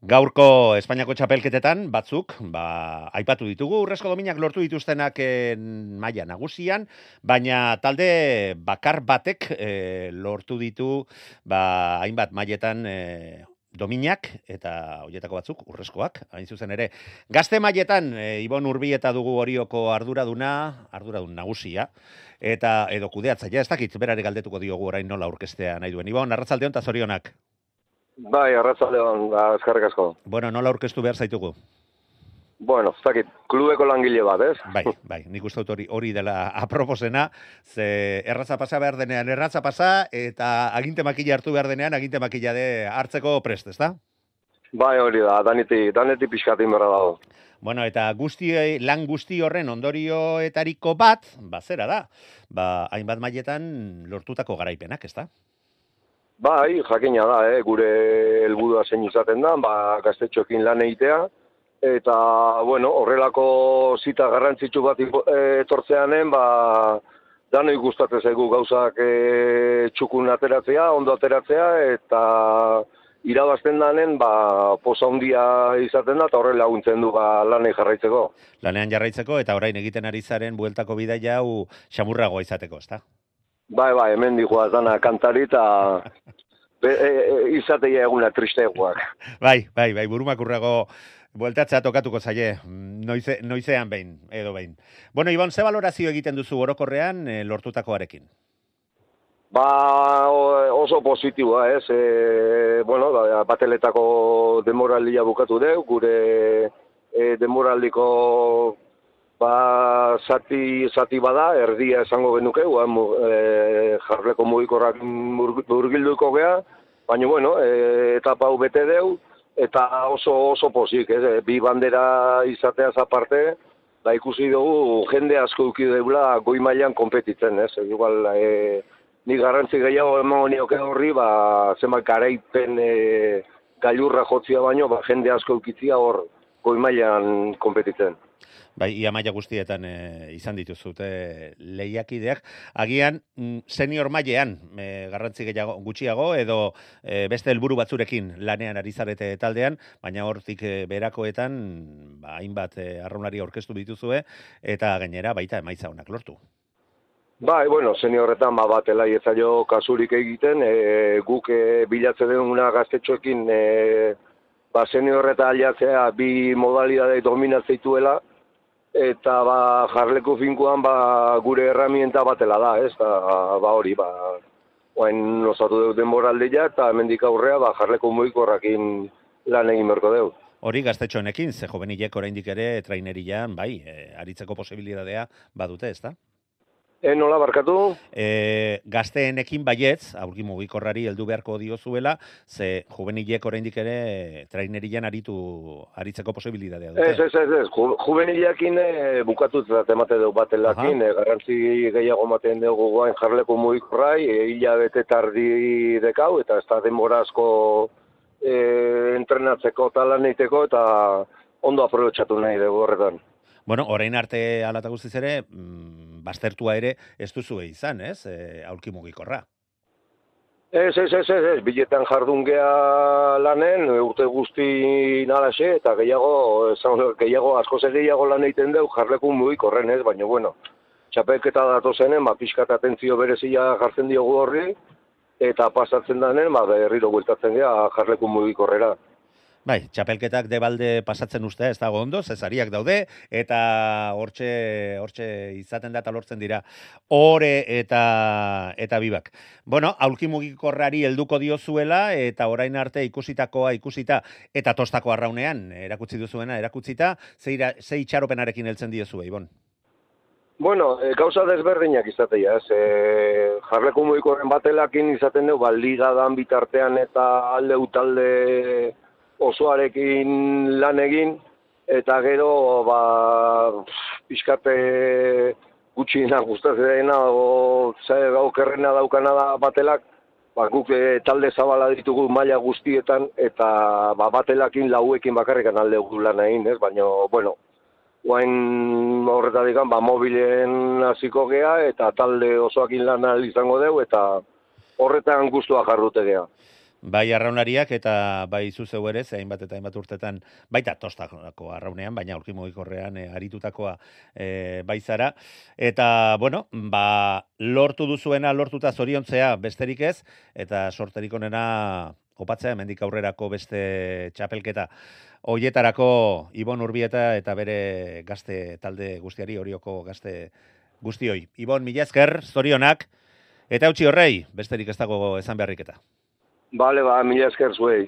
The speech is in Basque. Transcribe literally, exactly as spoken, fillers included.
Gaurko Espainiako txapelketetan batzuk, ba, aipatu ditugu, urrezko dominak lortu dituztenak eh, maila nagusian, baina talde bakar batek eh, lortu ditu ba, hainbat mailetan eh, dominak, eta horietako batzuk, urrezkoak, hain zuzen ere. Gazte mailetan, e, Ibon Urbieta dugu Orioko arduraduna, arduradun nagusia, eta edo kudeatzailea, ez dakit, berari galdetuko diogu orain nola aurkeztea nahi duen. Ibon, arratsaldeon eta zorionak. Bai, arratsaldeon, da, eskerrik asko. Bueno, nola aurkeztu behar zaitugu? Bueno, ez dakit, klubeko langile bat, ez? Bai, bai, nik uste dut hori, hori dela aproposena, ze erratza pasa behar denean erratza pasa, eta aginte makila hartu behar denean aginte makila de hartzeko prest, ezta? Bai, hori da, daneti, daneti pixkatin berra dago. Bueno, eta guzti, lan guzti horren ondorioetariko bat, ba, zera da, ba, hainbat mailetan lortutako garaipenak, ezta? Bai, jakina da, eh? Gure helburua zein izaten da, ba, gaztetxoekin lan egitea, eta, bueno, horrelako zita garrantzitsu bat etortzeanen, ba, danoi gustatzen zaigu gauzak e, txukun ateratzea, ondo ateratzea, eta irabazten danen, ba, posa handia izaten da, eta horrela laguntzen du ba, lanei jarraitzeko. Lanean jarraitzeko, eta orain egiten ari zaren bueltako bidaia hau xamurragoa izateko, ezta? Bai, bai, hemen dijoaz dana kantari eta e, e, izateia eguna tristeagoak. Bai, bai, bai, burumakurrago bueltatzea tokatuko zaie, noize, noizean behin, edo behin. Bueno, Ibon, ze valorazio egiten duzu orokorrean e, lortutakoarekin? Ba, oso positiboa, ez? E, bueno, bateletako demoraldia bukatu deu, gure e, demoraldiko ba, zati, zati bada, erdia esango genuke, e, jarleko mugikorrak burgilduko gea, baina, bueno, e, etapa hau bete deu, eta oso oso pozik, ez? Bi bandera izateaz aparte, da ikusi dugu jende asko uki deula goi mailan konpetitzen, ez? Igual, e, ni garrantzi gehiago emango nioke horri, ba, zenbat garaipen e, gailurra jotzia baino, ba, jende asko ukitzia hor goi mailan konpetitzen. Bai, ia maila guztietan e, izan dituzute lehiakideak. Agian, senior mailean e, garrantzi gehiago, gutxiago, edo e, beste helburu batzurekin lanean ari zarete taldean, baina hortik e, berakoetan, ba, hainbat e, arraunari aurkeztu dituzue, eta gainera baita emaitza honak lortu. Bai, bueno, seniorretan ba, bat elaiezaio kasurik egiten, e, guk e, bilatze duguna gaztetxoekin, e, ba, seniorreta aliatzea bi modalidade dominazeituela, eta ba, jarleku finkuan ba, gure herramienta batela da, ez? Da, ba hori, ba, oain osatu dut denboraldia, eta hemendik aurrea ba, jarleku mugikorrakin lan egin berko deu. Hori gaztetxoenekin, ze jovenilek oraindik ere trainerian, bai, e, aritzeko posibilitatea badute, ezta? E, nola barkatu? E, gazteenekin baietz, aurki mugikorrari heldu beharko diozuela, ze juvenilek oraindik ere trainerian aritu aritzeko posibilitatea dute. Ez, ez, ez, ez. Ju, juvenilekin e, bukatutzat emate dugu batelakin, e, garrantzi gehiago ematen dugu guain jarleko mugikorrai, e, hilabete tardi dekau, eta ez da denbora asko e, entrenatzeko talan eiteko, eta ondo aprobetxatu nahi dugu horretan. Bueno, orain arte alata guztiz ere, mm, baztertua ere ez duzu izan, ez? E, aulki mugikorra. Ez, ez, ez, ez, ez, biletan jardun gea lanen, urte guzti nalaxe, eta gehiago, gehiago, asko ze gehiago lan egiten deu, jarleku mugikorren, ez, baina, bueno, txapelketa datozenen, ba, pixkat atentzio berezia jartzen diogu horri, eta pasatzen danen, ba, berriro bueltatzen gea jarleku mugikorrera. Bai, txapelketak debalde pasatzen uste ez dago ondo, zesariak daude, eta hortxe, hortxe izaten da eta lortzen dira ore eta eta bibak. Bueno, aulki mugikorrari helduko diozuela, eta orain arte ikusitakoa ikusita, eta tostako arraunean erakutsi duzuena erakutsita, ze itxaropenarekin heltzen diozue, Ibon? Bueno, e, gauza desberdinak izatea, ez, e, jarleku mugikorren batelakin izaten dugu, ba, liga dan bitartean eta alde utalde osoarekin lan egin, eta gero, ba, pixkate gutxiena gustatzen dena, o, okerrena daukana da batelak, ba, guk e, talde zabala ditugu maila guztietan, eta ba, batelakin lauekin bakarrikan alde gu lan egin, ez? Baina, bueno, guain horretatik, ba, mobilen hasiko gea, eta talde osoakin lan izango deu, eta horretan gustua jardute gea. bai arraunlariak eta bai zuzeu ere, ze hainbat eta hainbat urtetan, baita tostako arraunean, baina aurki mugikorrean e, aritutakoa e, bai zara. Eta, bueno, ba, lortu duzuena, lortuta zoriontzea besterik ez, eta sorterik onena opatzea, hemendik aurrerako beste txapelketa. Hoietarako Ibon Urbieta eta bere gazte talde guztiari, Orioko gazte guztioi. Ibon, mila esker, zorionak, eta utzi horrei, besterik ez dago esan beharrik eta. Bale, ba, mila esker zuei.